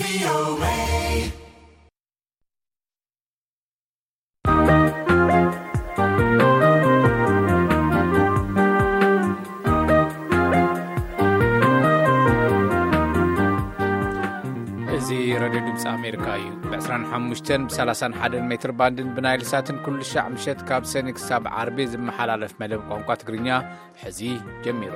እዚ ሬድዮ ድምፂ ኣሜሪካ እዩ። ብ ዕስራን ሓሙሽተን፣ ብ ሰላሳን ሓደን ሜትር ባንድን ብናይል ሳትን ኩሉ ሻዕ ምሸት ካብ ሰኒ ክሳብ ዓርቢ ዝመሓላለፍ መደብ ቋንቋ ትግርኛ ሕዚ ጀሚሩ።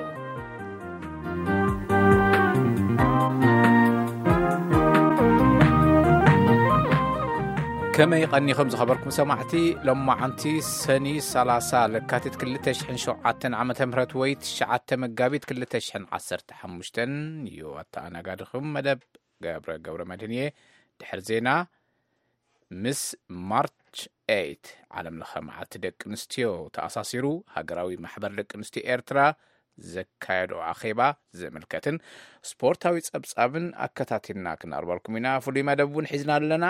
ከመይ ቀኒኹም ዝኸበርኩም ሰማዕቲ? ሎማዓንቲ ሰኒ ሰላሳ ለካቲት ክልተ ሽሕን ሸውዓተን ዓመተ ምህረት ወይ ትሽዓተ መጋቢት ክልተ ሽሕን ዓሰርተ ሓሙሽተን እዩ። ኣተኣናጋድኹም መደብ ገብረ ገብረ መድህን እየ። ድሕሪ ዜና፣ ምስ ማርች ኤይት ዓለም ለኸ መዓልቲ ደቂ ኣንስትዮ ተኣሳሲሩ፣ ሃገራዊ ማሕበር ደቂ ኣንስትዮ ኤርትራ ዘካየዶ ኣኼባ ዝምልከትን ስፖርታዊ ጸብጻብን ኣከታቲልና ክነቕርበልኩም ኢና። ፍሉይ መደብ እውን ሒዝና ኣለና።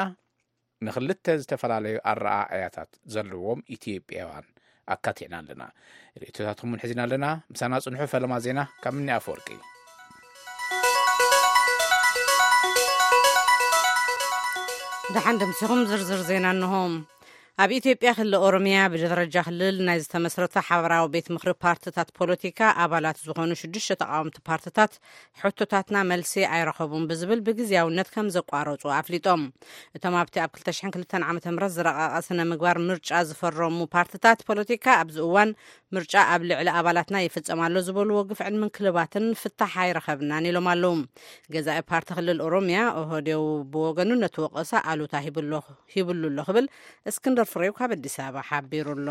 ንኽልተ ዝተፈላለዩ ኣረኣእያታት ዘለዎም ኢትዮጵያውያን ኣካቲዕና ኣለና። ርእይቶታትኩም እውን ሒዝና ኣለና። ምሳና ጽንሑ። ፈለማ ዜና ካብ ምኒ ኣፈወርቂ። ደሓን ደምሲኹም። ዝርዝር ዜና እንሆ። ኣብ ኢትዮጵያ ክልል ኦሮሚያ ብደረጃ ክልል ናይ ዝተመስረተ ሓበራዊ ቤት ምኽሪ ፓርትታት ፖለቲካ ኣባላት ዝኾኑ ሽዱሽተ ተቃወምቲ ፓርትታት ሕቶታትና መልሲ ኣይረኸቡን ብዝብል ብግዝያውነት ከም ዘቋረጹ ኣፍሊጦም። እቶም ኣብቲ ኣብ ክልተ ሽሕን ክልተን ዓመተ ምህረት ዝረቐቐ ስነ ምግባር ምርጫ ዝፈረሙ ፓርትታት ፖለቲካ ኣብዚ እዋን ምርጫ ኣብ ልዕሊ ኣባላትና ይፍጸም ኣሎ ዝበልዎ ግፍዕን ምንክልባትን ፍታሕ ኣይረኸብናን ኢሎም ኣለዉ። ገዛኢ ፓርቲ ክልል ኦሮሚያ ኦህዴው ብወገኑ ነቲ ወቐሳ ኣሉታ ሂብሎ-፣ ሂብሉ ኣሎ ክብል እስክንድር ፍሬው ካብ ኣዲስ ኣበባ ሓቢሩ ኣሎ።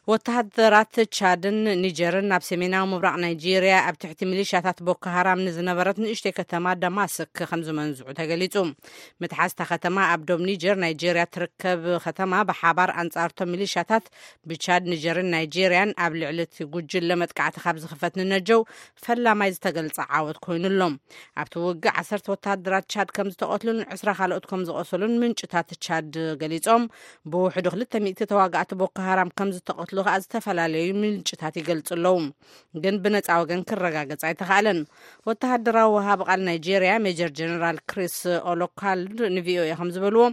ወተሃደራት ቻድን ኒጀርን ናብ ሰሜናዊ ምብራቕ ናይጄርያ ኣብ ትሕቲ ሚሊሻታት ቦኮ ሃራም ንዝነበረት ንእሽተይ ከተማ ደማስክ ከም ዝመንዝዑ ተገሊጹ። ምትሓዝ እታ ከተማ ኣብ ዶብ ኒጀር ናይጄርያ ትርከብ ከተማ ብሓባር ኣንጻርቶም ሚሊሻታት ብቻድ፣ ኒጀርን ናይጄርያን ኣብ ልዕሊ እቲ ጉጅለ መጥቃዕቲ ካብ ዝኽፈት ንነጀው ፈላማይ ዝተገልጸ ዓወት ኮይኑ ኣሎ። ኣብቲ ውግእ ዓሰርተ ወተሃደራት ቻድ ከም ዝተቐትሉን ዕስራ ካልኦት ከም ዝቖሰሉን ምንጭታት ቻድ ገሊጾም። ብውሕዱ ክልተ ሚእቲ ተዋጋእቲ ቦኮ ሃራም ከም ዝተቐትሉ ከኣ ዝተፈላለዩ ምንጭታት ይገልጹ ኣለዉ። ግን ብነጻ ወገን ክረጋገጽ ኣይተኻእለን። ወተሃደራዊ ወሃቢ ቃል ናይጄርያ ሜጀር ጀነራል ክሪስ ኦሎካልድ ንቪኦኤ ከም ዝበልዎ፣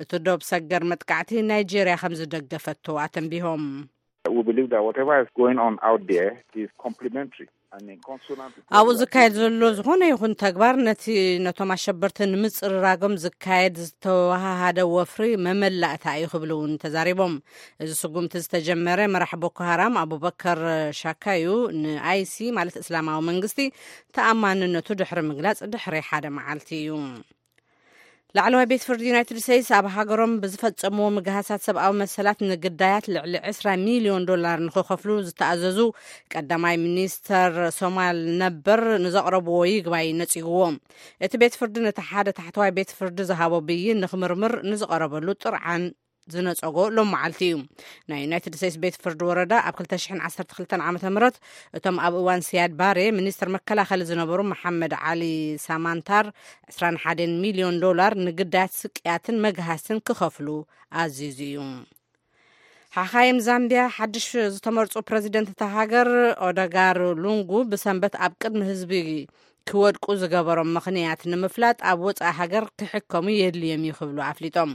እቲ ዶብ ሰገር መጥቃዕቲ ናይጄርያ ከም ዝደገፈቶ ኣተንቢሆም። We believe that whatever is going on out there is complementary and in consonant with what ኣብኡ we are ዝካየድ doing ዘሎ here. ዝኾነ ይኹን ተግባር ነቲ ነቶም ኣሸበርቲ ንምጽርራጎም ዝካየድ ዝተወሃሃደ ወፍሪ መመላእታ እዩ ክብሉ እውን ተዛሪቦም። እዚ ስጉምቲ ዝተጀመረ መራሕ ቦኮ ሃራም ኣቡበከር ሻካዩ ንኣይሲ ማለት እስላማዊ መንግስቲ ተኣማንነቱ ድሕሪ ምግላጽ ድሕሪ ሓደ መዓልቲ እዩ። ላዕለዋይ ቤት ፍርዲ ዩናይትድ ስቴትስ ኣብ ሃገሮም ብዝፈጸምዎ ምግሃሳት ሰብኣዊ መሰላት ንግዳያት ልዕሊ ዕስራ ሚልዮን ዶላር ንኽኸፍሉ ዝተኣዘዙ ቀዳማይ ሚኒስተር ሶማል ነበር ንዘቕረብዎ ይግባይ ነጺግዎ። እቲ ቤት ፍርዲ ነቲ ሓደ ታሕተዋይ ቤት ፍርዲ ዝሃቦ ብይን ንኽምርምር ንዝቐረበሉ ጥርዓን ዝነጸጎ ሎም መዓልቲ እዩ። ናይ ዩናይትድ ስቴትስ ቤት ፍርዲ ወረዳ ኣብ ክልተ ሽሕን ዓሰርተ ክልተን ዓመተ ምህረት እቶም ኣብ እዋን ሲያድ ባሬ ሚኒስትር መከላኸሊ ዝነበሩ መሓመድ ዓሊ ሳማንታር ዕስራን ሓደን ሚልዮን ዶላር ንግዳያት ስቅያትን መግሃስትን ክኸፍሉ ኣዚዙ እዩ። ሓኻይም ዛምቢያ ሓድሽ ዝተመርጹ ፕረዚደንት እታ ሃገር ኦደጋር ሉንጉ ብሰንበት ኣብ ቅድሚ ህዝቢ ክወድቁ ዝገበሮም ምኽንያት ንምፍላጥ ኣብ ወጻኢ ሃገር ክሕከሙ የድልዮም እዩ ክብሉ ኣፍሊጦም።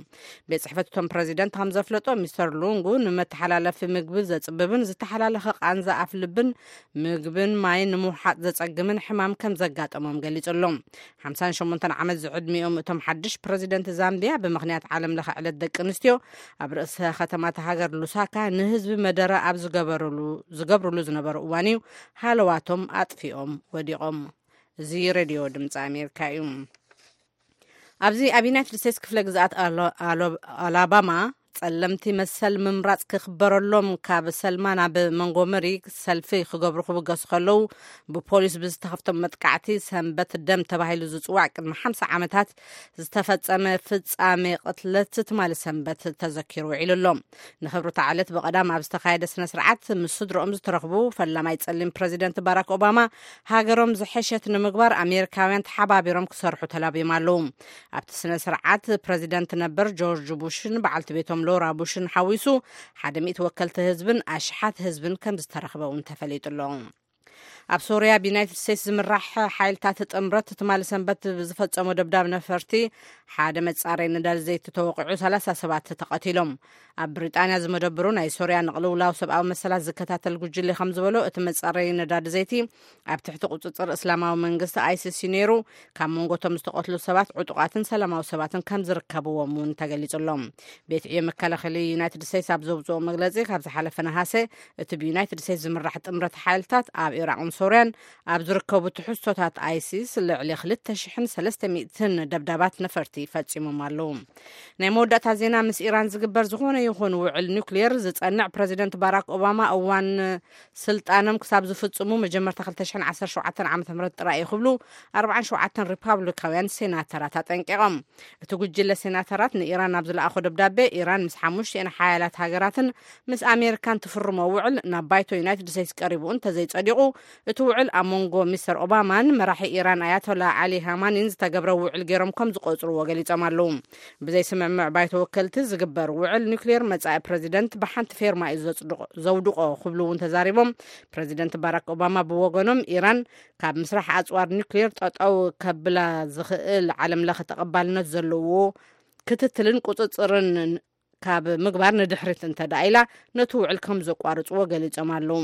ቤት ጽሕፈት እቶም ፕረዚደንት ከም ዘፍለጦ፣ ሚስተር ሉንጉ ንመተሓላለፊ ምግቢ ዘጽብብን ዝተሓላለኸ ቃንዛ ኣፍ ልብን ምግብን ማይን ንምውሓጥ ዘጸግምን ሕማም ከም ዘጋጠሞም ገሊጹ ኣሎ። ሓምሳን ሸሞንተን ዓመት ዝዕድሚኦም እቶም ሓድሽ ፕረዚደንት ዛምቢያ ብምኽንያት ዓለም ለኸ ዕለት ደቂ ኣንስትዮ ኣብ ርእሰ ከተማ እታ ሃገር ሉሳካ ንህዝቢ መደረ ኣብ ዝገበርሉ፣ ዝገብርሉ ዝነበሩ እዋን እዩ ሃለዋቶም ኣጥፊኦም ወዲቖም። እዚ ሬድዮ ድምፂ ኣሜሪካ እዩ። ኣብዚ ኣብ ዩናይትድ ስቴትስ ክፍለ ግዝኣት ኣሎ-፣ ኣሎ-፣ ኣላባማ ጸለምቲ መሰል ምምራጽ ክኽበረሎም ካብ ሰልማ ናብ መንጎመሪ ሰልፊ ክገብሩ ክብገሱ ከለዉ ብፖሊስ ብዝተኸፍቶም መጥቃዕቲ ሰንበት ደም ተባሂሉ ዝጽዋዕ ቅድሚ ሓምሳ ዓመታት ዝተፈጸመ ፍጻሜ ቅትለት ትማሊ ሰንበት ተዘኪሩ ውዒሉ ኣሎ። ንኽብሪ እታ ዕለት ብቐዳም ኣብ ዝተኻየደ ስነ ስርዓት ምስ ስድርኦም ዝተረኽቡ ፈላማይ ጸሊም ፕረዚደንት ባራክ ኦባማ ሃገሮም ዝሐሸት ንምግባር ኣሜሪካውያን ተሓባቢሮም ክሰርሑ ተላብዮም ኣለዉ። ኣብቲ ስነ ስርዓት ፕረዚደንት ነበር ጆርጅ ቡሽን በዓልቲ ቤቶም ሎራ ቡሽን ሓዊሱ ሓደ ሚእቲ ወከልቲ ህዝብን ኣሽሓት ህዝብን ከም ዝተረኽበ እውን ተፈሊጡ ኣሎ። ኣብ ሶርያ ብዩናይትድ ስቴትስ ዝምራሕ ሓይልታት ጥምረት ትማሊ ሰንበት ብዝፈጸሞ ደብዳብ ነፈርቲ ሓደ መጻረይ ነዳዲ ዘይቲ ተወቒዑ ሰላሳ ሰባት ተቐቲሎም። ኣብ ብሪጣንያ ዝመደብሩ ናይ ሶርያ ንቕልውላው ሰብኣዊ መሰላት ዝከታተል ጉጅለ ከም ዝበሎ፣ እቲ መጻረይ ነዳዲ ዘይቲ ኣብ ትሕቲ ቁጽጽር እስላማዊ መንግስቲ ኣይሲስ እዩ ነይሩ። ካብ መንጎ እቶም ዝተቐትሉ ሰባት ዕጡቓትን ሰላማዊ ሰባትን ከም ዝርከብዎም እውን ተገሊጹ ኣሎ። ቤት ዕዮ መከላኸሊ ዩናይትድ ስቴትስ ኣብ ዘውፅኦ መግለፂ፣ ካብ ዝሓለፈ ነሃሰ እቲ ብዩናይትድ ስቴትስ ዝምራሕ ጥምረት ሓይልታት ኣብ ኢራቕን ሶርያን ኣብ ዝርከቡ ትሕዝቶታት ኣይሲስ ልዕሊ ክልተ ሽሕን ሰለስተ ሚእትን ደብዳባት ነፈርቲ ፈፂሞም ኣለዉ። ናይ መወዳእታ ዜና፣ ምስ ኢራን ዝግበር ዝኾነ ይኹን ውዕል ኒውክሊየር ዝጸንዕ ፕረዚደንት ባራክ ኦባማ እዋን ስልጣኖም ክሳብ ዝፍጽሙ መጀመርታ ክልተ ሽሕን ዓሰርተ ሸውዓተን ዓመተ ምህረት ጥራይ እዩ ክብሉ ኣርባዓን ሸውዓተን ሪፓብሊካውያን ሴናተራት ኣጠንቂቖም። እቲ ጉጅለ ሴናተራት ንኢራን ኣብ ዝለኣኾ ደብዳቤ፣ ኢራን ምስ ሓሙሽቲኤን ሓያላት ሃገራትን ምስ ኣሜሪካን ትፍርሞ ውዕል ናብ ባይቶ ዩናይትድ ስቴትስ ቀሪቡ እንተዘይጸዲቑ፣ እቲ ውዕል ኣብ መንጎ ሚስተር ኦባማን መራሒ ኢራን ኣያቶላ ዓሊ ሃማኒን ዝተገብረ ውዕል ገይሮም ከም ዝቆጽርዎ ገሊጾም ኣለዉ። ብዘይ ስምምዕ ባይቶ ወከልቲ ዝግበር ውዕል ኒውክሌር መጻኢ ፕረዚደንት ብሓንቲ ፌርማ እዩ ዘጽድቆ-፣ ዘውድቆ ክብሉ እውን ተዛሪቦም። ፕረዚደንት ባራክ ኦባማ ብወገኖም፣ ኢራን ካብ ምስራሕ ኣጽዋር ኒውክሌር ጠጠው ከብላ ዝኽእል ዓለም ለኸ ተቐባልነት ዘለዎ ክትትልን ቁጽጽርን ካብ ምግባር ንድሕሪት እንተ ደኣ ኢላ፣ ነቲ ውዕል ከም ዘቋርጽዎ ገሊጾም ኣለዉ።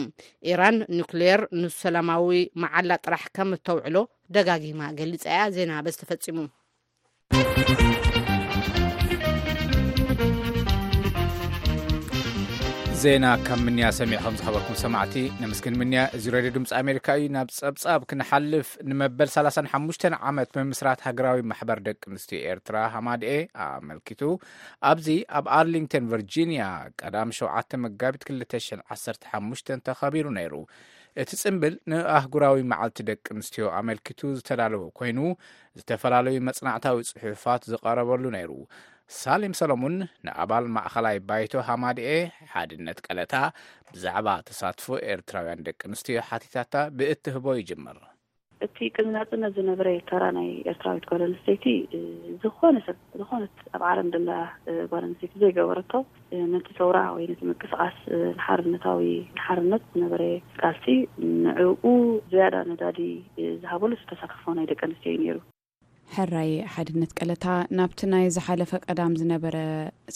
ኢራን ኒውክሌር ንሰላማዊ መዓላ ጥራሕ ከም እተውዕሎ ደጋጊማ ገሊጻ እያ። ዜና በዚ ተፈጺሙ። ዜና ካብ ምንያ ሰሚዕኹም ዝኸበርኩም ሰማዕቲ ነመስግን። ምንያ፣ እዚ ሬድዮ ድምፂ ኣሜሪካ እዩ። ናብ ጸብጻብ ክንሓልፍ፣ ንመበል ሰላሳን ሓሙሽተን ዓመት ምምስራት ሃገራዊ ማሕበር ደቂ ኣንስትዮ ኤርትራ ሃማድኤ ኣመልኪቱ፣ ኣብዚ ኣብ ኣርሊንግተን ቨርጂንያ ቀዳም ሸውዓተ መጋቢት ክልተ ሽሕን ዓሰርተ ሓሙሽተን ተኸቢሩ ነይሩ። እቲ ጽምብል ንኣህጉራዊ መዓልቲ ደቂ ኣንስትዮ ኣመልኪቱ ዝተዳለወ ኮይኑ፣ ዝተፈላለዩ መጽናዕታዊ ጽሑፋት ዝቐረበሉ ነይሩ። ሳሌም ሰሎሙን ንኣባል ማእኸላይ ባይቶ ሃማድኤ ሓድነት ቀለታ ብዛዕባ ተሳትፎ ኤርትራውያን ደቂ ኣንስትዮ ሓቲታታ ብእትህቦ ይጅምር። እቲ ቅድሚ ናጽነት ዝነበረ ተራ ናይ ኤርትራዊት ጓል ኣንስተይቲ፣ እ፣ ዝኾነ ሰብ፣ ዝኾነት ኣብ ዓለም ዘላ፣ እ፣ ጓል ኣንስተይቲ ዘይገበረቶ፣ እ፣ ነቲ ሰውራ ወይ ነቲ ምንቅስቓስ፣ እ፣ ንሓርነታዊ፣ ንሓርነት ዝነበረ ቃልሲ፣ ንዕኡ ዝያዳ ነዳዲ፣ እ፣ ዝሃበሉ ተሳትፎ ናይ ደቂ ኣንስትዮ እዩ ነይሩ። ሕራይ ሓድነት ቀለታ፣ ናብቲ ናይ ዝሓለፈ ቀዳም ዝነበረ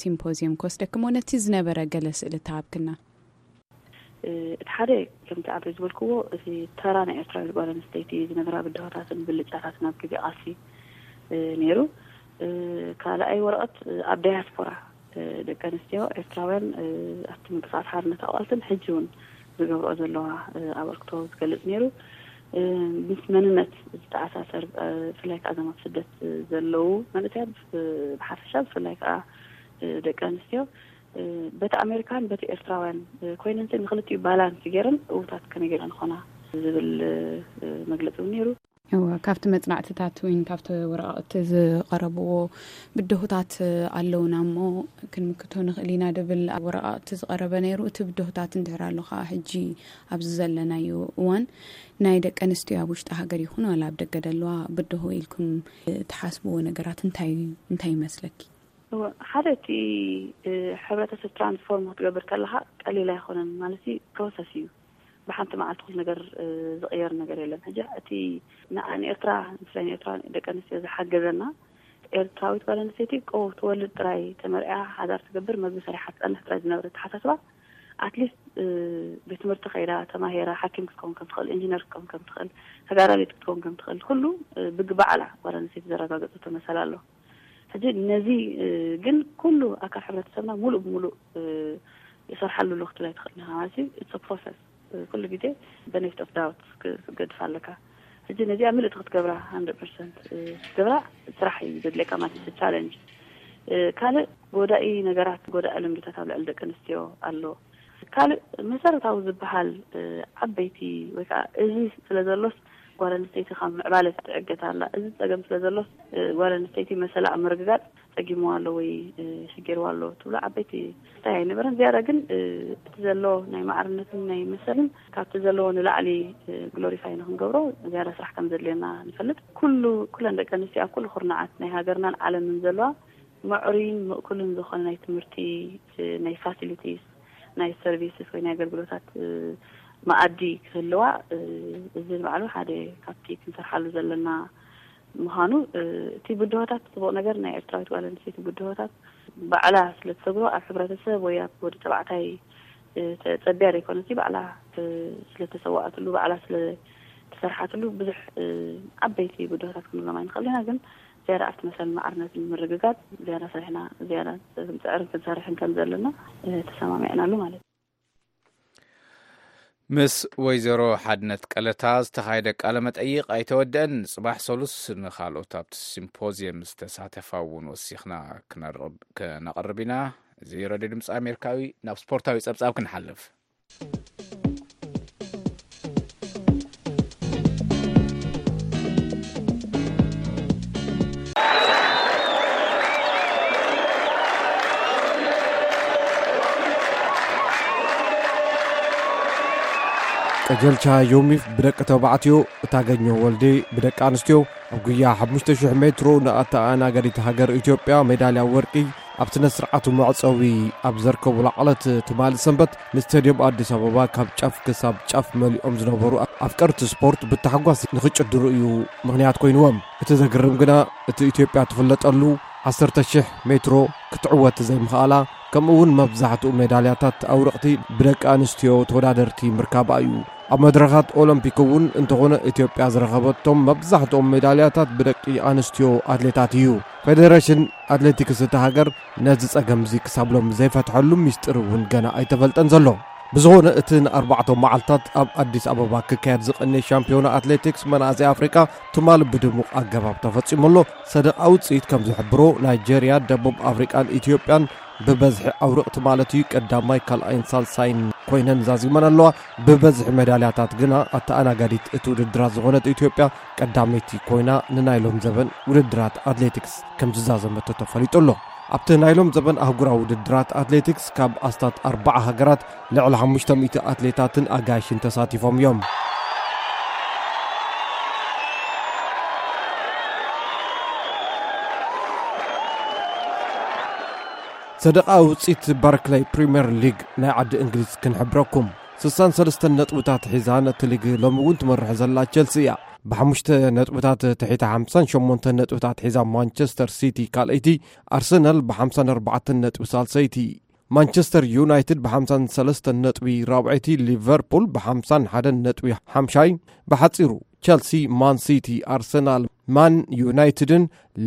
ሲምፖዝየም ክወስደክሞ፣ ነቲ ዝነበረ ገለ ስእሊ ተሃብክና። እ፣ እቲ ሓደ፣ ከምቲ ዓበይ ዝበልክዎ፣ እቲ ተራ ናይ ኤርትራዊት ጓል ኣንስተይቲ ዝነበራ ብድሆታትን ብልጫታትን ኣብ ግዜ ቃልሲ፣ እ፣ ነይሩ። እ፣ ካልኣይ ወረቐት፣ እ፣ ኣብ ዳያስፖራ፣ እ፣ ደቂ ኣንስትዮ ኤርትራውያን፣ እ፣ ኣብቲ ምንቅስቓስ ሓርነት ኣቋልትን ሕጂ እውን ዝገብርኦ ዘለዋ፣ እ፣ ኣበርክቶ ዝገልጽ ነይሩ። እ፣ ምስ መንነት ዝተኣሳሰር፣ እ፣ ብፍላይ ከኣ እዞም ኣብ ስደት፣ እ፣ ዘለዉ መንእሰያት፣ ብ-፣ ብሓፈሻ ብፍላይ ከኣ፣ እ፣ ደቂ ኣንስትዮ፣ እ፣ በቲ ኣሜሪካን በቲ ኤርትራውያን፣ እ፣ ኮይነን ንኽልቲኡ ባላንስ ገይረን እውታት ከመይ ገይረን ንኾና ዝብል፣ እ፣ መግለጺ እውን ነይሩ። እወ፣ ካብቲ መጽናዕትታት ወይን ካብቲ ወረቓቕቲ ዝቐረብዎ ብድሆታት ኣለውና እሞ ክንምክቶ ንኽእል ኢና ድብል ኣብ ወረቓቕቲ ዝቐረበ ነይሩ። እቲ ብድሆታት እንድሕር ኣሎ ኸዓ ሕጂ ኣብዚ ዘለናዮ እዋን ናይ ደቂ ኣንስትዮ ኣብ ውሽጢ ሃገር ይኹን ዋላ ኣብ ደገ ደለዋ ብድሆ ኢልኩም ትሓስብዎ ነገራት እንታይ፣ እንታይ ይመስለኪ? እወ፣ ሓደ እቲ፣ እ፣ ሕብረተሰብ ትራንስፎርም ክትገብር ከለኻ ቀሊል ኣይኮነን፣ ማለት እዩ፣ ፕሮሰስ እዩ። ብሓንቲ መዓልቲ ኩሉ ነገር፣ እ፣ ዝቕየር ነገር የለን። ሕጂ እቲ ንዓ-፣ ንኤርትራ፣ ብፍላይ ንኤርትራ ደቂ ኣንስትዮ ዝሓገዘና፣ ኤርትራዊት ጓል ኣንስተይቲ ቆ-፣ ትወልድ ጥራይ፣ ተመርዕያ፣ ሓዳር ትገብር፣ መግቢ ሰሪሓ ትጸንሕ ጥራይ ዝነበረ ኣተሓሳስባ፣ ኣትሊስት፣ እ፣ ቤት ትምህርቲ ከይዳ፣ ተማሂራ፣ ሓኪም ክትከውን ከም ትኽእል፣ ኢንጂነር ክትከውን ከም ትኽእል፣ ተጋዳሊት ክትከውን ከም ትኽእል፣ ኩሉ፣ እ፣ ብግባዕ ኣላ ጓል ኣንስተይቲ ዘረጋገጸቶ መሰል ኣሎ። ሕጂ ነዚ፣ እ፣ ግን ኩሉ ኣካል ሕብረተሰብና ሙሉእ ብሙሉእ፣ እ፣ ይሰርሓሉ ኣሎ ክትብል ኣይትኽእልን ኢኻ ማለት እዩ። It's a process። እ፣ ኩሉ ግዜ benefit of doubt ክ-፣ ክትገድፍ ኣለካ። ሕጂ ነዚኣ ምልእቲ ክትገብራ፣ ሃንድረድ ፐርሰንት፣ እ፣ ክትገብራ ስራሕ እዩ ዘድልየካ ማለት እዩ። Challenge። እ፣ ካልእ ጎዳኢ ነገራት፣ ጎዳኢ ልምድታት ኣብ ልዕሊ ደቂ ኣንስትዮ ኣሎ። ካልእ መሰረታዊ ዝበሃል፣ እ፣ ዓበይቲ ወይ ከዓ እዚ ስለ ዘሎስ ጓል ኣንስተይቲ ካብ ምዕባለ ትዕገት ኣላ። እዚ ጸገም ስለ ዘሎስ፣ እ፣ ጓል ኣንስተይቲ መሰላ ኣብ ምርግጋጽ ጸጊምዋ ኣሎ ወይ፣ እ፣ ሽጌርዋ ኣሎ ትብሎ ዓበይቲ እንታይ ኣይነበረን። ዝያዳ ግን፣ እ፣ እቲ ዘሎ ናይ ማዕርነትን ናይ መሰልን ካብቲ ዘለዎ ንላዕሊ፣ እ፣ ግሎሪፋይ ንኽንገብሮ ዝያዳ ስራሕ ከም ዘድልየና ንፈልጥ። ኩሉ፣ ኩለን ደቂ ኣንስትዮ ኣብ ኩሉ ኩርናዓት ናይ ሃገርናን ዓለምን ዘለዋ ምዕሩይን ምእኩልን ዝኾነ ናይ ትምህርቲ፣ እ፣ ናይ ፋሲሊቲስ፣ ናይ ሰርቪስስ ወይ ናይ ኣገልግሎታት፣ እ፣ መኣዲ ክህልዋ፣ እ፣ እዚ ንባዕሉ ሓደ ካብቲ ክንሰርሓሉ ዘለና ምዃኑ፣ እ፣ እቲ ብድሆታት፣ ጽቡቕ ነገር ናይ ኤርትራዊት ጓል ኣንስተይቲ ብድሆታት ባዕላ ስለ ትሰግሮ፣ ኣብ ሕብረተሰብ ወይ ኣብ ወዲ ተባዕታይ፣ እ፣ ተጸቢያ ዘይኮነሲ፣ ባዕላ፣ እ፣ ስለ ተሰዋኣትሉ፣ ባዕላ ስለ ተሰርሓትሉ ብዙሕ፣ እ፣ ዓበይቲ ብድሆታት ክንብሎም ኣይንኽእል ኢና። ግን ዝያዳ ኣብቲ መሰል ማዕርነት ንምርግጋጽ ዝያዳ ሰሪሕና፣ ዝያዳ ክንጽዕርን ክንሰርሕን ከም ዘለና፣ እ፣ ተሰማሚዕናሉ ማለት እዩ። ምስ ወይዘሮ ሓድነት ቀለታ ዝተኻየደ ቃለ መጠይቕ ኣይተወደአን። ጽባሕ ሰሉስ ንኻልኦት ኣብቲ ሲምፖዝየም ዝተሳተፋ እውን ወሲኽና ክነርብ-፣ ክነቕርብ ኢና። እዚ ረድዮ ድምፂ ኣሜሪካዊ። ናብ ስፖርታዊ ጸብጻብ ክንሓልፍ። ቀጀልቻ ዮሚፍ ብደቂ ተባዕትዮ፣ እታገኘው ወልዴ ብደቂ ኣንስትዮ ኣብ ጉያ ሓሙሽተ ሽሕ ሜትሮ ንኣተኣናጋዲት ሃገር ኢትዮጵያ ሜዳልያ ወርቂ ኣብ ስነ ስርዓቱ መዕጸዊ ኣብ ዘርከቡላ ዕለት ትማሊ ሰንበት ንስቴድዮም ኣዲስ ኣበባ ካብ ጫፍ ክሳብ ጫፍ መሊኦም ዝነበሩ ኣፍቀርቲ ስፖርት ብታሕጓስ ንኽጭድሩ እዩ ምኽንያት ኮይንዎም። እቲ ዘግርም ግና እቲ ኢትዮጵያ ትፍለጠሉ ዓሰርተ ሽሕ ሜትሮ ክትዕወት ዘይምኽኣላ፣ ከምኡ እውን መብዛሕትኡ ሜዳልያታት ኣውረቕቲ ብደቂ ኣንስትዮ ተወዳደርቲ ምርካባ እዩ። ኣብ መድረኻት ኦሎምፒክ እውን እንተኾነ ኢትዮጵያ ዝረኸበቶም መብዛሕትኦም ሜዳልያታት ብደቂ ኣንስትዮ ኣትሌታት እዩ። ፌዴሬሽን ኣትሌቲክስ እታ ሃገር ነዚ ጸገም እዚ ክሳብ ሎሚ ዘይፈትሐሉ ሚስጥር እውን ገና ኣይተፈልጠን ዘሎ። ብዝኾነ እቲ ንኣርባዕተ መዓልታት ኣብ ኣዲስ ኣበባ ክካየድ ዝቐነየ ሻምፒዮና ኣትሌቲክስ መናእሰይ ኣፍሪቃ ትማሊ ብድሙቕ ኣገባብ ተፈጺሙ ኣሎ። ሰደቓ ውጽኢት ከም ዝሕብሮ ናይጄርያ፣ ደቡብ ኣፍሪቃን ኢትዮጵያን ብበዝሒ ኣውርቕቲ ማለት እዩ ቀዳማይ፣ ካልኣይን ሳልሳይን ኮይነን ዛዚመን ኣለዋ። ብበዝሒ ሜዳልያታት ግና ኣተኣናጋዲት እቲ ውድድራት ዝኾነት ኢትዮጵያ ቀዳመይቲ ኮይና ንናይ ሎም ዘበን ውድድራት ኣትሌቲክስ ከም ዝዛዘመቶ ተፈሊጡ ኣሎ። ኣብቲ ናይ ሎም ዘበን ኣህጉራዊ ውድድራት ኣትሌቲክስ ካብ ኣስታት ኣርባዓ ሃገራት ልዕሊ ሓሙሽተ ሚእቲ ኣትሌታትን ኣጋይሽን ተሳቲፎም እዮም። ሰደቓ ውፅኢት ባርክለይ ፕሪምየር ሊግ ናይ ዓዲ እንግሊዝ ክንሕብረኩም። ስሳን ሰለስተን ነጥብታት ሒዛ ነቲ ሊግ ሎሚ እውን ትመርሕ ዘላ ቸልሲ እያ። ብሓሙሽተ ነጥብታት ትሒታ ሓምሳን ሸሞንተን ነጥብታት ሒዛ ማንቸስተር ሲቲ ካልኣይቲ፣ ኣርሰናል ብሓምሳን ኣርባዕተን ነጥቢ ሳልሰይቲ፣ ማንቸስተር ዩናይትድ ብሓምሳን ሰለስተን ነጥቢ ራብዐይቲ፣ ሊቨርፑል ብሓምሳን ሓደን ነጥቢ ሓምሻይ። ብሓጺሩ ቸልሲ፣ ማን ሲቲ፣ ኣርሰናል፣ ማን ዩናይትድን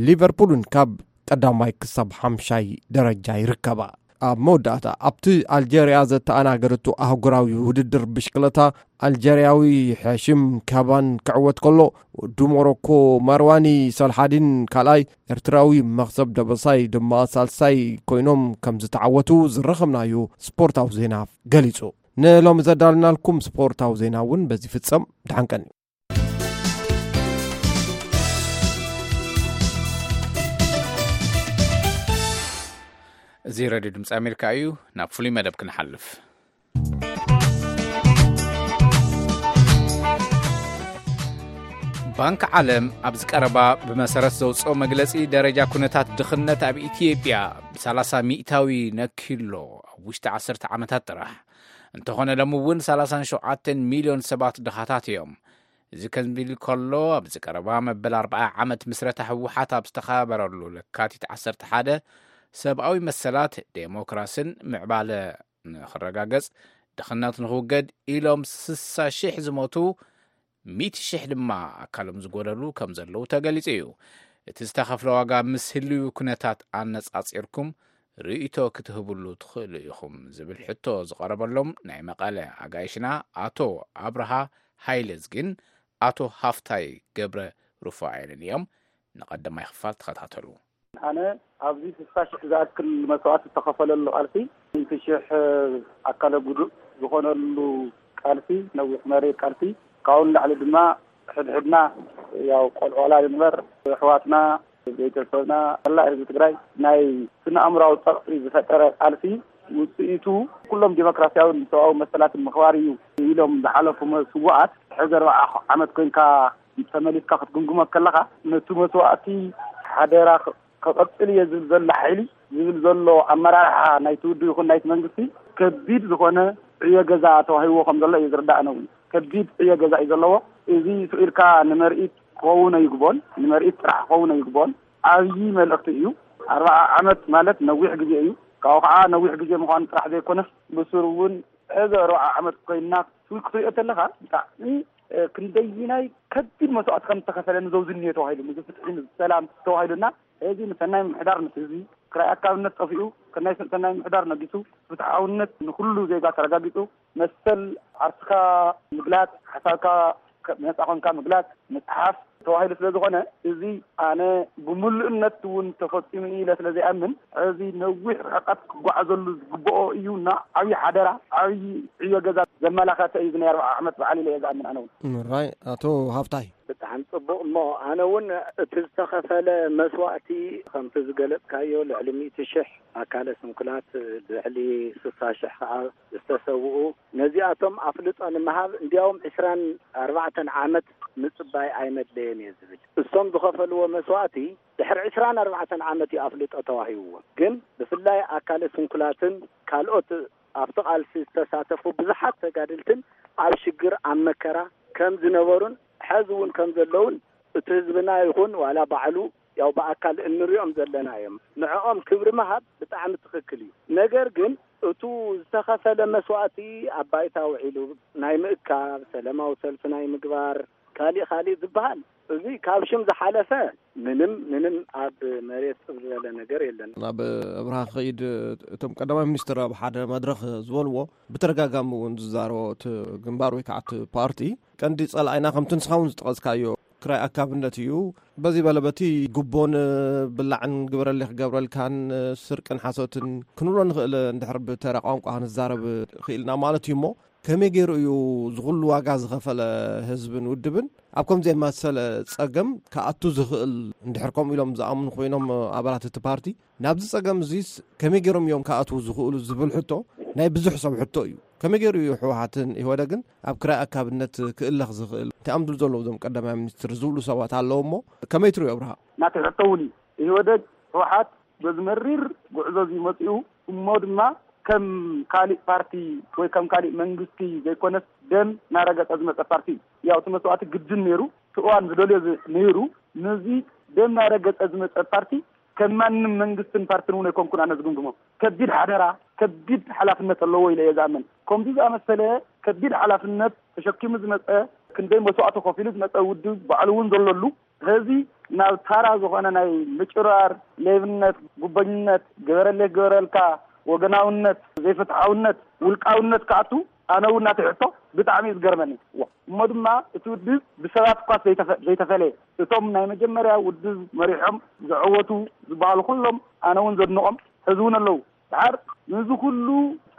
ሊቨርፑልን ካብ ቀዳማይ ክሳብ ሓምሻይ ደረጃ ይርከባ። ኣብ መወዳእታ ኣብቲ ኣልጀርያ ዘተኣናገደቶ ኣህጉራዊ ውድድር ብሽክለታ ኣልጀርያዊ ሐሽም ካባን ክዕወት ከሎ፣ ወዲ ሞሮኮ ማርዋኒ ሳልሓዲን ካልኣይ፣ ኤርትራዊ መኽሰብ ደበሳይ ድማ ሳልሳይ ኮይኖም ከም ዝተዓወቱ ዝረኸብናዮ ስፖርታዊ ዜና ገሊጹ። ንሎሚ ዘዳለናልኩም ስፖርታዊ ዜና እውን በዚ ፍጸም። ደሓን ቀኒ። እዚ ሬድዮ ድምፂ ኣሜሪካ እዩ። ናብ ፍሉይ መደብ ክንሓልፍ። ባንክ ዓለም ኣብዚ ቀረባ ብመሰረት ዘውፅኦ መግለፂ፣ ደረጃ ኩነታት ድኽነት ኣብ ኢትዮጵያ ብ ሰላሳ ሚእታዊ ነኪሎ ኣብ ውሽጢ ዓሰርተ ዓመታት ጥራሕ። እንተኾነ ሎም እውን ሰላሳን ሸውዓተን ሚልዮን ሰባት ድኻታት እዮም። እዚ ከምዚ ኢሉ ከሎ፣ ኣብዚ ቀረባ መበል ኣርባዓ ዓመት ምስረታ ህወሓት ኣብ ዝተኸበረሉ ለካቲት ዓሰርተ ሓደ፣ ሰብኣዊ መሰላት፣ ዴሞክራስን ምዕባለ ንኽረጋገጽ፣ ድኽነት ንኽውገድ ኢሎም ስሳ ሽሕ ዝሞቱ፣ ሚእቲ ሽሕ ድማ ኣካሎም ዝጎደሉ ከም ዘለዉ ተገሊጹ እዩ። እቲ ዝተኸፍለ ዋጋ ምስ ህልዊ ኩነታት ኣነጻጺርኩም ርእይቶ ክትህብሉ ትኽእሉ ኢኹም ዝብል ሕቶ ዝቐረበሎም ናይ መቐለ ኣጋይሽና ኣቶ ኣብርሃ ሃይለዝጊን ኣቶ ሃፍታይ ገብረ ሩፋኤልን እዮም። ንቐዳማይ ክፋል ተኸታተሉ። ኣነ ኣብዚ ስሳ ሽሕ ዝኣክል መስዋእቲ ዝተኸፈለሉ ቃልሲ፣ ሚእቲ ሽሕ ኣካለ ጉዱእ ዝኾነሉ ቃልሲ፣ ነዊሕ መሪር ቃልሲ፣ ካብኡ ንላዕሊ ድማ ሕድሕድና ያው ቆልዑ ቆላል ንበር፣ ኣሕዋትና፣ ቤተሰብና፣ መላእ ህዝቢ ትግራይ ናይ ስነ ኣእምራዊ ጸቕጢ ዝፈጠረ ቃልሲ ውጽኢቱ ኩሎም ዲሞክራሲያውን ሰብኣዊ መሰላትን ምኽባር እዩ ኢሎም ዝሓለፉ መስዋእት፣ ሕዚ ኣርባዓ ዓመት ኮይንካ ተመሊስካ ክትግምግሞ ከለኻ፣ ነቲ መስዋእቲ ሓደራ ከቐጽል እየ ዝብል ዘሎ ሓይሊ፣ ዝብል ዘሎ ኣመራርሓ ናይቲ ውድብ ይኹን ናይቲ መንግስቲ ከቢድ ዝኾነ ዕዮ ገዛ ተዋሂብዎ ከም ዘሎ እዩ ዝርዳእ ነው። ከቢድ ዕዮ ገዛ እዩ ዘለዎ። እዚ ስኢልካ ንመርኢት ክኸውን ኣይግቦን፣ ንመርኢት ጥራሕ ክኸውን ኣይግቦን። ዓብዪ መልእኽቲ እዩ። ኣርባዓ ዓመት ማለት ነዊሕ ግዜ እዩ። ካብኡ ከዓ ነዊሕ ግዜ ምዃኑ ጥራሕ ዘይኮነስ ብስሩ እውን ሕዚ ኣርባዓ ዓመት ኮይንና ክትሪኦ ተለኻ ብጣዕሚ ክንደይናይ ከቢድ መስዋእቲ ከም ዝተኸፈለ ንዘውዝን እኒኦ ተባሂሉ፣ ንዝፍትሒ ንሰላም ተባሂሉና። እዚ ንሰናይ ምምሕዳር ምስ ህዝቢ ክራይ ኣካብነት ጠፊኡ፣ ከናይ ሰናይ ምምሕዳር ነጊሱ፣ ፍትሓውነት ንኩሉ ዜጋ ተረጋጊጹ፣ መሰል ዓርስካ ምግላጽ፣ ሓሳብካ ከ- ነጻ ኮንካ ምግላጽ፣ ምጽሓፍ ተባሂሉ ስለ ዝኾነ፣ እዚ ኣነ ብምሉእነት እውን ተፈጺሙ ኢለ ስለ ዘይኣምን፣ እዚ ነዊሕ ርሕቀት ክጓዓዘሉ ዝግብኦ እዩ እና ዓብዪ ሓደራ፣ ዓብዪ ዕዮ ገዛ ዘመላኸተ እዩ። እዚ ናይ ኣርባዓ ዓመት በዓል ኢለ እየ ዝኣምን ኣነ እውን። ራይ ኣቶ ሃፍታይ። ብጣዕሚ ጽቡቕ። እሞ ኣነ እውን እቲ ዝተኸፈለ መስዋእቲ ከምቲ ዝገለጽካዮ ልዕሊ ሚእቲ ሽሕ ኣካለ ስንኩላት፣ ልዕሊ ስሳ ሽሕ ከዓ ዝተሰውኡ፣ ነዚኣቶም ኣፍልጦ ንምሃብ እንዲያውም ዕስራን ኣርባዕተን ዓመት ምጽባይ ኣይመድለየን እየ ዝብል። እሶም ዝኸፈልዎ መስዋእቲ ድሕሪ ዕስራን ኣርባዕተን ዓመት እዩ ኣፍልጦ ተዋሂብዎም። ግን ብፍላይ ኣካለ ስንኩላትን ካልኦት ኣብቲ ቃልሲ ዝተሳተፉ ብዙሓት ተጋድልትን ኣብ ሽግር ኣብ መከራ ከም ዝነበሩን ሕዚ እውን ከም ዘለውን እቲ ህዝብና ይኹን ዋላ ባዕሉ ያው ብኣካል እንሪኦም ዘለና እዮም። ንዕኦም ክብሪ ምሃብ ብጣዕሚ ትኽክል እዩ። ነገር ግን እቱ ዝተኸፈለ መስዋእቲ ኣብ ባይታ ውዒሉ ናይ ምእካብ፣ ሰላማዊ ሰልፊ ናይ ምግባር፣ ካሊእ ካሊእ ዝበሃል እዚ ካብ ሽም ዝሓለፈ ምንም ምንም ኣብ መሬት ጽብ ዝበለ ነገር የለን። ናብ ኣብርሃ ክኸይድ፣ እቶም ቀዳማይ ሚኒስትር ኣብ ሓደ መድረኽ ዝበልዎ ብተደጋጋሚ እውን ዝዛረቦ እቲ ግንባር ወይ ከዓ እቲ ፓርቲ ቀንዲ ጸላኢና ከምቲ ንስኻ እውን ዝጠቐስካዮ ክራይ ኣካብነት እዩ። በዚ በለ በቲ ጉቦን ብላዕን ግበረለይ ክገብረልካን ስርቅን ሓሶትን ክንብሎ ንኽእል። እንድሕር ብተራ ቋንቋ ክንዛረብ ክኢልና ማለት እዩ። እሞ ከመይ ገይሩ እዩ ዝኹሉ ዋጋ ዝኸፈለ ህዝብን ውድብን ኣብ ከምዚ የመሰለ ጸገም ክኣቱ ዝኽእል? እንድሕር ከምኡ ኢሎም ዝኣምኑ ኮይኖም ኣባላት እቲ ፓርቲ፣ ናብዚ ጸገም እዚስ ከመይ ገይሮም እዮም ክኣትዉ ዝኽእሉ ዝብል ሕቶ ናይ ብዙሕ ሰብ ሕቶ እዩ። ከመይ ገይሩ እዩ ህወሓትን ኢህወደግን ኣብ ክራይ ኣካብነት ክእለኽ ዝኽእል? እንታይ እዮም ዝብሉ ዘለዉ እዞም ቀዳማይ ሚኒስትር ዝብሉ ሰባት ኣለዉ እሞ ከመይ ትርእዮ ኣብርሃ? ናተይ ሕቶ እውን እዩ። ኢህወደግ፣ ህወሓት በዚ መሪር ጉዕዞ እዚ መፂኡ እሞ ድማ ከም ካሊእ ፓርቲ ወይ ከም ካሊእ መንግስቲ ዘይኮነስ ደም እናረገፀ ዝመፀ ፓርቲ እዩ። ያው እቲ መስዋእቲ ግድን ነይሩ፣ እቲ እዋን ዝደልዮ ዝ- ነይሩ። ነዚ ደም እናረገፀ ዝመፀ ፓርቲ ከም ማንም መንግስትን ፓርትን እውን ኣይኮንኩን ኣነ ዝግምግሞ። ከቢድ ሓደራ፣ ከቢድ ሓላፍነት ኣለዎ ኢለ እየ ዝኣምን። ከምዚ ዝኣመሰለ ከቢድ ሓላፍነት ተሸኪሙ ዝመፀ፣ ክንደይ መስዋእቲ ከፊሉ ዝመፀ ውድብ ባዕሉ እውን ዘለሉ፣ ሕዚ ናብ ታራ ዝኾነ ናይ ምጭራር፣ ሌብነት፣ ጉቦኝነት፣ ግበረለይ ግበረልካ፣ ወገናውነት፣ ዘይፍትሓውነት፣ ውልቃውነት ክኣቱ ኣነ እውን ናተይ ሕቶ ብጣዕሚ እዩ ዝገርመኒ። ዋ፣ እሞ ድማ እቲ ውድብ ብሰባት እኳ ዘይተፈ- ዘይተፈለየ፣ እቶም ናይ መጀመርያ ውድብ መሪሖም ዘዐወቱ ዝበሃሉ ኩሎም ኣነ እውን ዘድንቖም ሕዚ እውን ኣለዉ። ድሓር ነዚ ኩሉ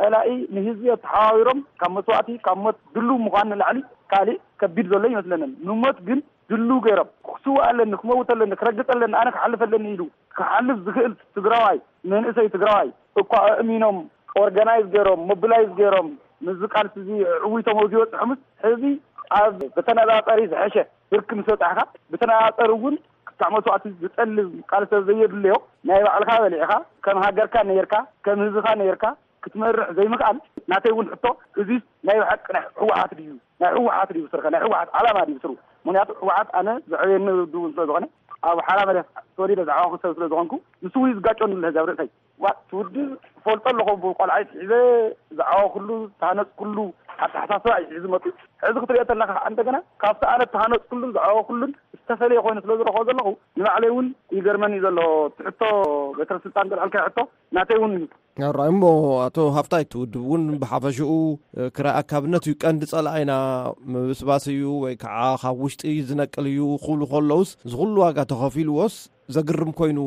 ጸላኢ ንህዝቢ ኣተሓባቢሮም ካብ መስዋእቲ ካብ ሞት ድልው ምዃን ንላዕሊ ካልእ ከቢድ ዘሎ ይመስለንን። ንሞት ግን ድልው ገይሮም፣ ክስውእ ኣለኒ፣ ክመውት ኣለኒ፣ ክረግጽ ኣለኒ፣ ኣነ ክሓልፍ ኣለኒ ኢሉ ክሓልፍ ዝኽእል ትግራዋይ፣ መንእሰይ ትግራዋይ እኳ ኣእሚኖም፣ ኦርጋናይዝ ገይሮም፣ ሞቢላይዝ ገይሮም፣ ምስዚ ቃልሲ እዚ ዕዊቶም ኣብ ዝበጽሖምስ፣ ሕዚ ኣብ ብተነጻጻሪ ዝሐሸ ብርኪ ምስ በጻሕካ፣ ብተነጻጻሪ እውን ክሳዕ መስዋእቲ ዝጠልብ ቃልሲ ዘየድልዮ፣ ናይ ባዕልኻ በሊዕኻ፣ ከም ሃገርካ ነይርካ፣ ከም ህዝብኻ ነይርካ ክትመርሕ ዘይምኽኣል፣ ናተይ እውን ሕቶ፣ እዚስ ናይ ብሓቂ ናይ ህወሓት ድዩ? ናይ ህወሓት ድዩ ብስርኸ? ናይ ህወሓት ዓላማ ድዩ ብስሩ? ምኽንያቱ ህወሓት ኣነ ዘዕበየኒ ውድብ እውን ስለ ዝኾነ፣ ኣብ ሓራ መሬት ተወሊደ ዝዓበኹ ሰብ ስለ ዝኾንኩ፣ ንሱ እውን እዩ ዝጋጨኒ ዘሎ ሕዚ ኣብ ርእሰይ። ዋ፣ እቲ ውድብ እፈልጦ ኣለኹ፣ ብቆልዓ ይትሒዘ ዝዓበኹሉ፣ ዝተሃነፅኩሉ ኣተሓሳስባ እዩ ሒዙ መፅኡ። ሕዚ ክትሪኦ ተለኻ ከዓ እንደገና ካብቲ ኣነ እተሃነፅኩሉን ዝዓበኹሉን ዝተፈለየ ኮይኑ ስለ ዝረኽቦ ዘለኹ፣ ንባዕለይ እውን ይገርመኒ ዘሎ። እቲ ሕቶ በትረ ስልጣን ዘልዓልካዮ ሕቶ ናተይ እውን እዩ። ራይ እሞ ኣቶ ሃፍታይ፣ እቲ ውድብ እውን ብሓፈሽኡ ክራይ ኣካብነት እዩ ቀንዲ ጸላኢና፣ ምብስባስ እዩ ወይ ከዓ ካብ ውሽጢ ዝነቅል እዩ ክብሉ ከለውስ፣ ዝኹሉ ዋጋ ተኸፊልዎስ ዘግርም ኮይኑ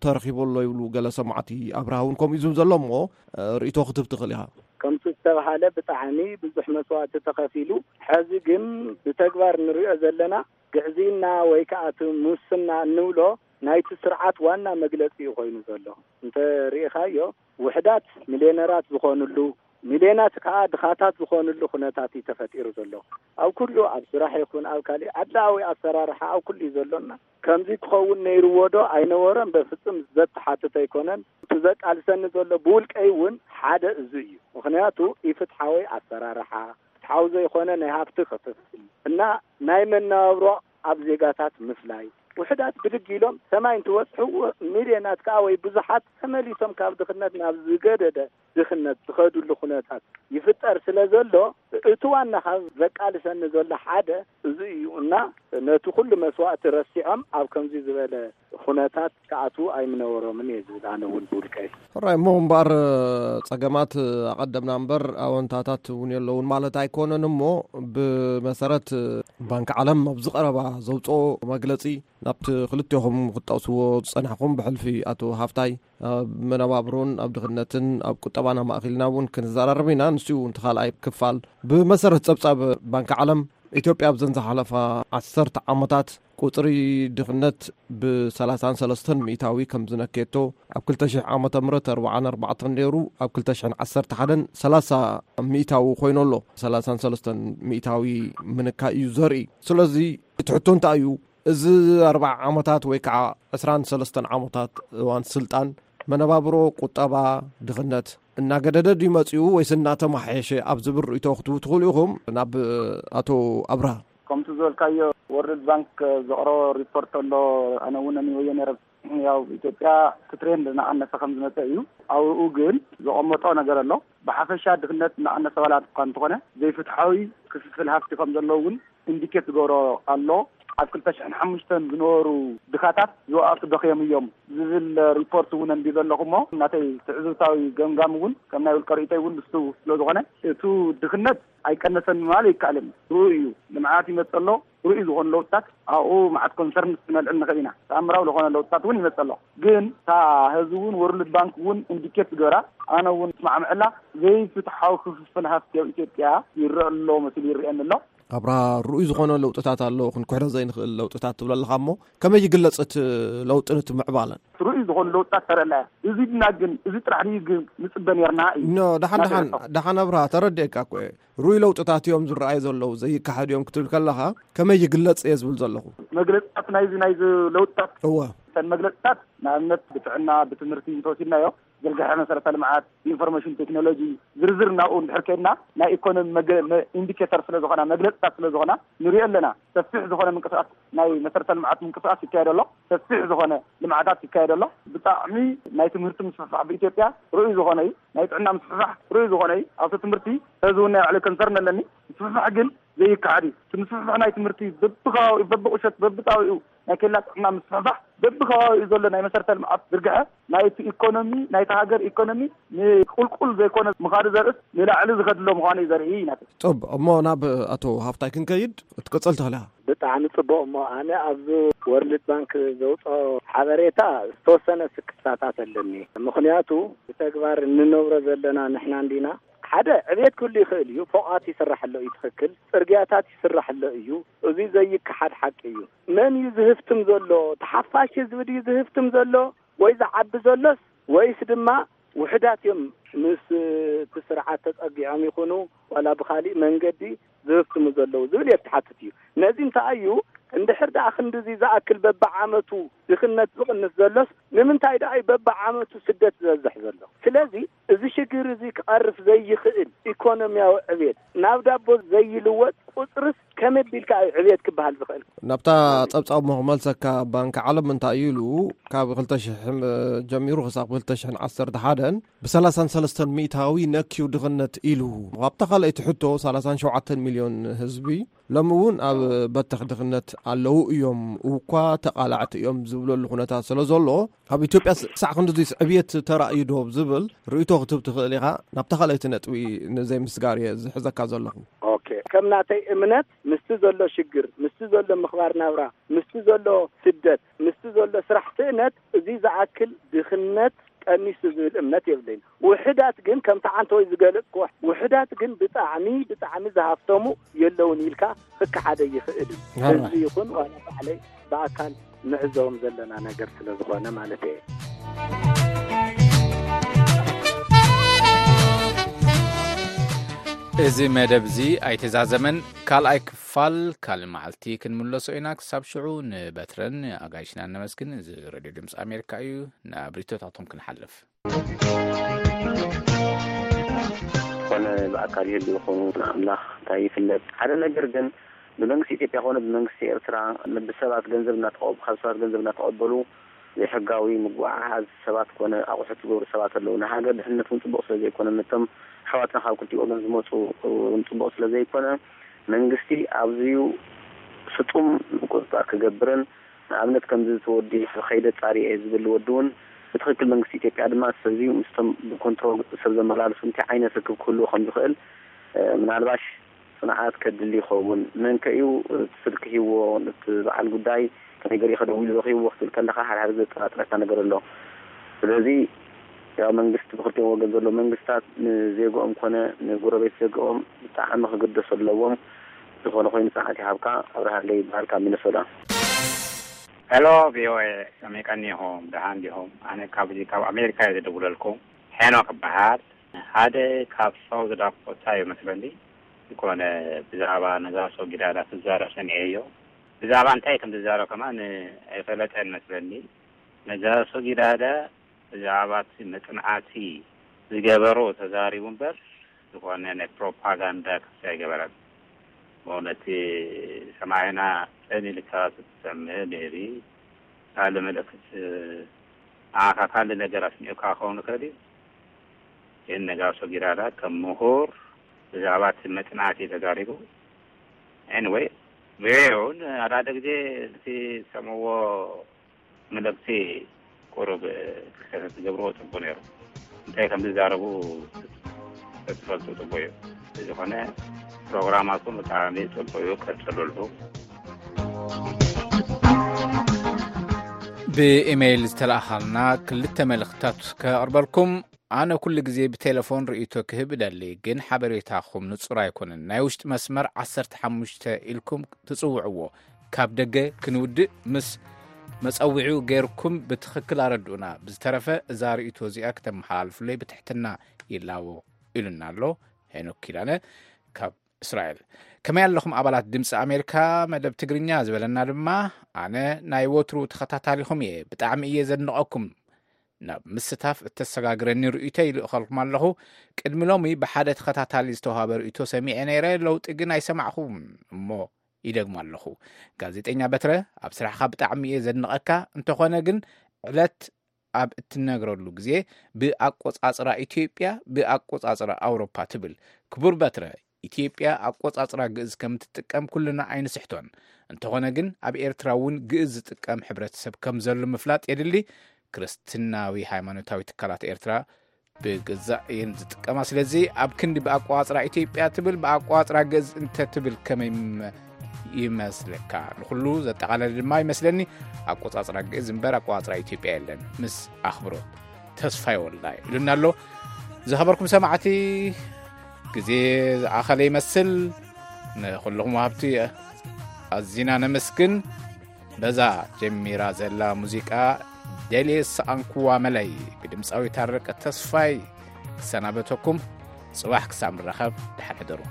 ተረኺቡ ኣሎ ይብሉ ገለ ሰማዕቲ። ኣብርሃ እውን ከምኡ እዩ ዝብል ዘሎ እሞ፣ እ፣ ርእይቶ ክትህብ ትኽእል ኢኻ። ከምቲ ዝተባሃለ ብጣዕሚ ብዙሕ መስዋእቲ ተኸፊሉ፣ ሕዚ ግን ብተግባር ንሪኦ ዘለና ግዕዝይና ወይ ከዓ እቲ ሙስና እንብሎ ናይቲ ስርዓት ዋና መግለጺ እዩ ኮይኑ ዘሎ። እንተ ርኢኻዮ ውሕዳት ሚልዮነራት ዝኾኑሉ፣ ሚልዮናት ከዓ ድኻታት ዝኾንሉ ኩነታት እዩ ተፈጢሩ ዘሎ። ኣብ ኩሉ፣ ኣብ ስራሕ ይኹን ኣብ ካሊእ ኣድላዊ ኣሰራርሓ ኣብ ኩሉ እዩ ዘሎና። ከምዚ ክኸውን ነይርዎ ዶ ኣይነበረን? በፍጹም ዘተሓትት ኣይኮነን። እቲ ዘቃልሰኒ ዘሎ ብውልቀይ እውን ሓደ እዚ እዩ። ምኽንያቱ ኢፍትሓዊ ኣሰራርሓ፣ ፍትሓዊ ዘይኮነ ናይ ሃብቲ ክፍፍል እና ናይ መነባብሮ ኣብ ዜጋታት ምፍላይ፣ ውሕዳት ብድግ ኢሎም ሰማይ እንትበጽሑ፣ ሚልዮናት ከዓ ወይ ብዙሓት ተመሊሶም ካብ ድኽነት ናብ ዝገደደ ድኽነት ዝኸዱሉ ኩነታት ይፍጠር ስለ ዘሎ፣ እቲ ዋና ካብ ዘቃልሰኒ ዘሎ ሓደ እዚ እዩ እና ነቲ ኩሉ መስዋእቲ ረሲዖም ኣብ ከምዚ ዝበለ ኩነታት ክኣትዉ ኣይምነበሮምን እየ ዝብል፣ ኣነ እውን ብውልቀይ። ሕራይ እሞ እምበኣር፣ ጸገማት ኣቐደምና እምበር ኣወንታታት እውን የለውን ማለት ኣይኮነን። እሞ ብመሰረት ባንኪ ዓለም ኣብዚ ቀረባ ዘውፅኦ መግለጺ፣ ናብቲ ክልቴኹም ክትጠቕስዎ ዝጸናሕኩም ብሕልፊ ኣቶ ሃፍታይ፣ ኣብ መነባብሮን ኣብ ድኽነትን ኣብ ቁጠባና ማእኪልና እውን ክንዘራረብ ኢና። ንሱ እውን እቲ ካልኣይ ክፋል። ብመሰረት ጸብጻብ ባንኪ ዓለም፣ ኢትዮጵያ ኣብዘን ዝሓለፋ ዓሰርተ ዓመታት ቁጽሪ ድኽነት ብ33 ሚእታዊ ከም ዝነከየቶ፣ ኣብ ክልተ ሽሕ ዓመተ ምህረት ኣርባዓን ኣርባዕተን ነይሩ፣ ኣብ ክልተ ሽሕን ዓሰርተ ሓደን ሰላሳ ሚእታዊ ኮይኑ ኣሎ። ሰላሳን ሰለስተን ሚእታዊ ምንካይ እዩ ዘርኢ። ስለዚ እቲ ሕቶ እንታይ እዩ? እዚ ኣርብዓ ዓመታት ወይ ከዓ ዕስራን ሰለስተን ዓመታት እዋን ስልጣን መነባብሮ፣ ቁጠባ፣ ድኽነት እናገደደ ድዩ መጺኡ ወይስ እናተማሓየሸ ኣብ ዝብል ርእይቶ ክትህቡ ትኽእሉ ኢኹም? ናብ ኣቶ ኣብርሃ። ከምቲ ዝበልካዮ፣ ወርልድ ባንክ ዘቕረቦ ሪፖርት ኣሎ። ኣነ እውን ኣንብበዮ ነይረ። ያው ኢትዮጵያ እቲ ትሬንድ እናቐነሰ ከም ዝመጸ እዩ። ኣብኡ ግን ዘቐመጦ ነገር ኣሎ። ብሓፈሻ ድኽነት እናቐነሰ ዋላ እኳ እንተኾነ፣ ዘይፍትሓዊ ክፍፍል ሃፍቲ ከም ዘሎ እውን ኢንዲኬት ዝገብሮ ኣሎ። ኣብ ክልተ ሽሕን ሓሙሽተን ዝነበሩ ድኻታት ዝወኣቱ ደኽዮም እዮም ዝብል ሪፖርት እውን ኣንቢበ ኣለኹ። እሞ ናተይ ትዕዝብታዊ ገምጋም እውን፣ ከም ናይ ውልቀ ርእይቶይ እውን ንሱ ስለ ዝኾነ፣ እቱ ድኽነት ኣይቀነሰን ምባል ኣይከኣልን። ርኡይ እዩ። ልምዓት ይመጽእ ኣሎ። ርኡይ ዝኾኑ ለውጥታት፣ ኣብኡ መዓት ኮንሰርንስ ክነልዕል ንኽእል ኢና። ተኣምራዊ ዝኾነ ለውጥታት እውን ይመጽእ ኣሎ። ግን እታ ህዝቢ እውን፣ ወርልድ ባንክ እውን ኢንዲኬት ዝገበራ፣ ኣነ እውን እስማዕምዐላ፣ ዘይፍትሓዊ ክፍፍል ሃፍቲ ኣብ ኢትዮጵያ ይረአ ኣሎ መሲሉ ይረአየኒ ኣሎ። ኣብርሃ፣ ርኡይ ዝኾነ ለውጥታት ኣሎ፣ ክንኩሕዶ ዘይንኽእል ለውጥታት ትብል ኣለኻ። እሞ ከመይ ይግለጽ እቲ ለውጥን እቲ ምዕባለን? ርኡይ ዝኾኑ ለውጥታት ተረኣና እያ። እዚ ድና ግን፣ እዚ ጥራሕ ድዩ ግን ንጽበ ነርና እዩ? ኖ፣ ደሓን፣ ደሓን፣ ደሓን ኣብርሃ፣ ተረዲኤካ እኮ እየ። ርኡይ ለውጥታት እዮም ዝረኣዩ ዘለዉ፣ ዘይከሓድ እዮም ክትብል ከለኻ፣ ከመይ ይግለጽ እየ ዝብል ዘለኹ። መግለጽታት ናይዚ፣ ናይዚ ለውጥታት፣ እወ። እተን መግለጽታት፣ ንኣብነት፣ ብጥዕና፣ ብትምህርቲ እንተወሲድናዮ፣ ዝርግሐ መሰረተ ልምዓት፣ ኢንፎርሜሽን ቴክኖሎጂ፣ ዝርዝር ናብኡ እንድሕር ከይድና፣ ናይ ኢኮኖሚ መገ-፣ መ-፣ ኢንዲኬተር ስለ ዝኾና፣ መግለጽታት ስለ ዝኾና፣ ንሪኦ ኣለና። ሰፊሕ ዝኾነ ምንቅስቃስ፣ ናይ መሰረተ ልምዓት ምንቅስቃስ ይካየድ ኣሎ። ሰፊሕ ዝኾነ ልምዓታት ይካየድ ኣሎ። ብጣዕሚ ናይ ትምህርቲ ምስፍሕፋሕ ብኢትዮጵያ ርኡይ ዝኾነ እዩ። ናይ ጥዕና ምስፍሕፋሕ ርኡይ ዝኾነ እዩ። ኣብቲ ትምህርቲ፣ እዚ እውን ናይ ባዕለይ ኮንሰርን ኣለኒ። ምስፍሕፋሕ ግን ዘይከሓድ እዩ። እቲ ምስፍሕፋሕ ናይ ትምህርቲ በብከባቢኡ፣ በብቁሸት፣ በብጣቢኡ ናይ ኬላ ጥዕና ምስፍሕፋሕ፣ በብከባቢኡ ዘሎ ናይ መሰረተ ልምዓት ዝርግሐ፣ ናይቲ ኢኮኖሚ፣ ናይቲ ሃገር ኢኮኖሚ ንቁልቁል ዘይኮነ ምኻዱ ዘርእስ ንላዕሊ ዝኸድሎ ምዃኑ እዩ ዘርኢ እዩ ናተይ። ጽቡቕ፣ እሞ ናብ ኣቶ ሃፍታይ ክንከይድ፣ ክትቅጽል ትኽእል ኢኻ። ብጣዕሚ ጽቡቕ። እሞ ኣነ ኣብዚ ወርልድ ባንክ ዘውፅኦ ሓበሬታ ዝተወሰነ ስክፍታታት ኣለኒ። ምኽንያቱ ብተግባር እንነብሮ ዘለና ንሕና እንዲና። ሓደ ዕቤት ክህሉ ይኽእል እዩ፣ ፎቓት ይስራሕ ኣሎ እዩ፣ ትኽክል፣ ጽርግያታት ይስራሕ ኣሎ እዩ። እዚ ዘይከሓድ ሓቂ እዩ። መን እዩ ዝህፍትም ዘሎ? ተሓፋሽ ህዝቢ ድዩ ዝህፍትም ዘሎ? ወይ ዝዓቢ ዘሎስ፣ ወይስ ድማ ውሕዳት እዮም ምስ እቲ ስርዓት ተጸጊዖም ይኹኑ ዋላ ብኻሊእ መንገዲ ዝህፍትሙ ዘለዉ ዝብል የተሓትት እዩ። ነዚ እንታይ እዩ፣ እንድሕር ደኣ ክንድዚ ዝኣክል በብዓመቱ ድኽነት ዝቕንስ ዘሎስ፣ ንምንታይ ደኣ እዩ በብዓመቱ ስደት ዝበዝሕ ዘሎ? ስለዚ እዚ ሽግር እዚ ክቐርፍ ዘይኽእል ኢኮኖሚያዊ ዕብየት፣ ናብ ዳቦ ዘይልወጥ ቁጽርስ ከመይ ቢልካ እዩ ዕብየት ክበሃል ዝኽእል? ናብታ ጸብጻብ እሞ ክመልሰካ፣ ባንኪ ዓለም እንታይ እዩ ኢሉ፣ ካብ ክልተ ሽሕ ጀሚሩ ክሳብ ክልተ ሽሕን ዓሰርተ ሓደን ብ33% ነክዩ ድኽነት ኢሉ። ኣብታ ካልኣይቲ ሕቶ፣ ሰላሳን ሸውዓተን ሚልዮን ህዝቢ ሎሚ እውን ኣብ በተኽ ድኽነት ኣለዉ እዮም፣ እኳ ተቓላዕቲ እዮም ዝብለሉ ኩነታት ስለ ዘሎ፣ ኣብ ኢትዮጵያ ስ-፣ ሳዕ ክንድዚ ዕብየት ተራእዩ ዶ ዝብል ርእይቶ ክትህብ ትኽእል ኢኻ? ናብታ ካልኣይቲ ነጥቢ ንዘይ ምስጋር እየ ዝሕዘካ ዘለኹ። ኦኬ፣ ከም ናተይ እምነት፣ ምስቲ ዘሎ ሽግር፣ ምስቲ ዘሎ ምኽባር ናብራ፣ ምስቲ ዘሎ ስደት፣ ምስቲ ዘሎ ስራሕ ስእነት፣ እዚ ዝኣክል ድኽነት ቀኒሱ ዝብል እምነት የብለይን። ውሕዳት ግን፣ ከምቲ ዓንተወይ ዝገለጽክዎ፣ ውሕዳት ግን ብጣዕሚ፣ ብጣዕሚ ዝሃፍተሙ የለውን ኢልካ ክከሓደ ይኽእል እዩ። ኣራ። ህዝቢ ይኹን ዋላ ባዕለይ ብኣካል ንዕዘቦም ዘለና ነገር ስለ ዝኾነ ማለት እየ። እዚ መደብ እዚ ኣይተዛዘመን። ካልኣይ ክፋል ካልእ መዓልቲ ክንምለሶ ኢና። ክሳብ ሽዑ ንበትረን ኣጋይሽና ነመስግን። እዚ ሬድዮ ድምፂ ኣሜሪካ እዩ። ናብ ሪቶታቶም ክንሓልፍ። ኮነ ብኣካል ይህሉ ይኾኑ ንኣምላኽ እንታይ ይፍለጥ። ሓደ ነገር ግን ብመንግስቲ ኢትዮጵያ ኮነ ብመንግስቲ ኤርትራ ብሰባት ገንዘብ እናተቐበሉ ካብ ሰባት ገንዘብ እናተቐበሉ ዘይሕጋዊ ምጉዓዓዝ ሰባት ኮነ ኣቑሑት ዝገብሩ ሰባት ኣለዉ። ንሃገር ድሕነት እውን ፅቡቕ ስለ ዘይኮነ ነቶም ኣሕዋትና ካብ ክልቲኡ ወገን ዝመፁ እውን ፅቡቕ ስለ ዘይኮነ መንግስቲ ኣብዚዩ ስጡም ምቁፅፃር ክገብርን ንኣብነት ከምዚ እቲ ወዲ ከይደ ፃሪ እየ ዝብል ወዲ እውን ብትኽክል መንግስቲ ኢትዮጵያ ድማ ሰብዚዩ ምስቶም ብኮንትሮል ሰብ ዘመላልሱ እንታይ ዓይነት ርክብ ክህልዎ ከም ዝኽእል ምናልባሽ ፅንዓት ከድሊ ይኸውን። መን ከ እዩ እቲ ስልኪ ሂዎ ነቲ በዓል ጉዳይ ከመይ ገሪኡ ከደዊሉ ረኺብዎ ክትብል ከለኻ ሓደ ሓደ ዘጠራጥረካ ነገር ኣሎ። ስለዚ ያው መንግስቲ ብክልቲኦም ወገን ዘሎ መንግስታት ንዜግኦም ኮነ ንጎረቤት ዜግኦም ብጣዕሚ ክግደሱ ኣለዎም። ዝኾነ ኮይኑ ፅንዓት ይሃብካ። ኣብርሃለይ ይበሃል ካብ ሚነሶታ። ሄሎ ቪኦኤ፣ ከመይ ቀኒኹም? ደሓን ዲኹም? ኣነ ካብዚ ካብ ኣሜሪካ እየ ዝድውለልኩም። ሄኖክ እበሃል። ሓደ ካብ ሳውዝ ዳኮታ እዩ መስለኒ። ዝኾነ ብዛዕባ ነጋሶ ጊዳዳ ክዛረብ ሰሚዐዮ። ብዛዕባ እንታይ ከም ዝዛረብ ከማን ኣይፈለጠን መስለኒ። ነጋሶ ጊዳዳ ብዛዕባ እቲ መጽናዕቲ ዝገበሮ ተዛሪቡ እምበር ዝኾነ ናይ ፕሮፓጋንዳ ክሲ ኣይገበረን። ብእውነት ሰማዕና ጽን ኢልካ ክትሰምዕ ሜቢ ካልእ መልእኽቲ ንዓኻ ካልእ ነገር ኣስሚዑካ ክኸውን ይኽእል እዩ። ግን ነጋሶ ጊራዳ ከም ምሁር ብዛዕባ እቲ መጽናዕቲ ተዛሪቡ። ኤኒወይ ቪኦኤ እውን ኣዳደ ግዜ እቲ ዝሰምዕዎ መልእኽቲ ቁሩብ ክልተ ትገብርዎ ጽቡቕ ነይሩ። እንታይ ከም ዝዛረቡ ተትፈልጡ ጽቡቕ እዩ። ብዝኾነ ፕሮግራማትኩም ብጣዕሚ ጽቡቕ እዩ፣ ቀጽሉሉ። ብኢሜይል ዝተላእኻልና ክልተ መልእኽትታት ከቕርበልኩም። ኣነ ኩሉ ግዜ ብቴሌፎን ርእይቶ ክህብ እደሊ፣ ግን ሓበሬታኹም ንጹር ኣይኮነን። ናይ ውሽጢ መስመር ዓሰርተ ሓሙሽተ ኢልኩም ትጽውዕዎ፣ ካብ ደገ ክንውድእ ምስ መጸውዒኡ ገይርኩም ብትኽክል ኣረድኡና። ብዝተረፈ እዛ ርእይቶ እዚኣ ክተመሓላልፉለይ ብትሕትና ይላቦ፣ ኢሉና ኣሎ ሄኖክ ኪዳነ ካብ እስራኤል። ከመይ ኣለኹም ኣባላት ድምፂ ኣሜሪካ መደብ ትግርኛ ዝበለና ድማ፣ ኣነ ናይ ወትሩ ተኸታታሊኹም እየ፣ ብጣዕሚ እየ ዘድንቐኩም። ናብ ምስታፍ እተሰጋግረኒ ርእይቶ ይልእኸልኩም ኣለኹ። ቅድሚ ሎሚ ብሓደ ተኸታታሊ ዝተዋሃበ ርእይቶ ሰሚዐ ነይረ፣ ለውጢ ግን ኣይሰማዕኹም እሞ ይደግም ኣለኹ። ጋዜጠኛ በትረ፣ ኣብ ስራሕኻ ብጣዕሚ እየ ዘድንቐካ። እንተኾነ ግን ዕለት ኣብ እትነግረሉ ግዜ ብኣቆጻጽራ ኢትዮጵያ ብኣቆጻጽራ ኣውሮፓ ትብል። ክቡር በትረ፣ ኢትዮጵያ ኣቆጻጽራ ግእዝ ከም ትጥቀም ኩልና ኣይንስሕቶን። እንተኾነ ግን ኣብ ኤርትራ እውን ግእዝ ዝጥቀም ሕብረተሰብ ከም ዘሎ ምፍላጥ የድሊ። ክርስትናዊ ሃይማኖታዊ ትካላት ኤርትራ ብግዛእ እየን ዝጥቀማ። ስለዚ ኣብ ክንዲ ብኣቋጽራ ኢትዮጵያ ትብል ብኣቋጽራ ግእዝ እንተ ትብል ከመይ ይመስለካ? ንኹሉ ዘጠቓለለ ድማ ይመስለኒ ኣቆጻጽራ ግእዝ እምበር ኣቆጻጽራ ኢትዮጵያ የለን። ምስ ኣኽብሮት ተስፋይ ወልዳይ ኢሉና ኣሎ። ዝኸበርኩም ሰማዕቲ፣ ግዜ ዝኣኸለ ይመስል። ንኹልኹም ወሃብቲ ኣዚና ነመስግን። በዛ ጀሚራ ዘላ ሙዚቃ ደልየ ዝሰኣንኩዋ መለይ ብድምፃዊ ታረቀ ተስፋይ ክሰናበተኩም። ጽባሕ ክሳብ ንራኸብ ደሓን ሕደሩ።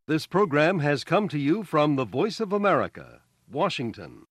This program has come to you from the Voice of America, Washington.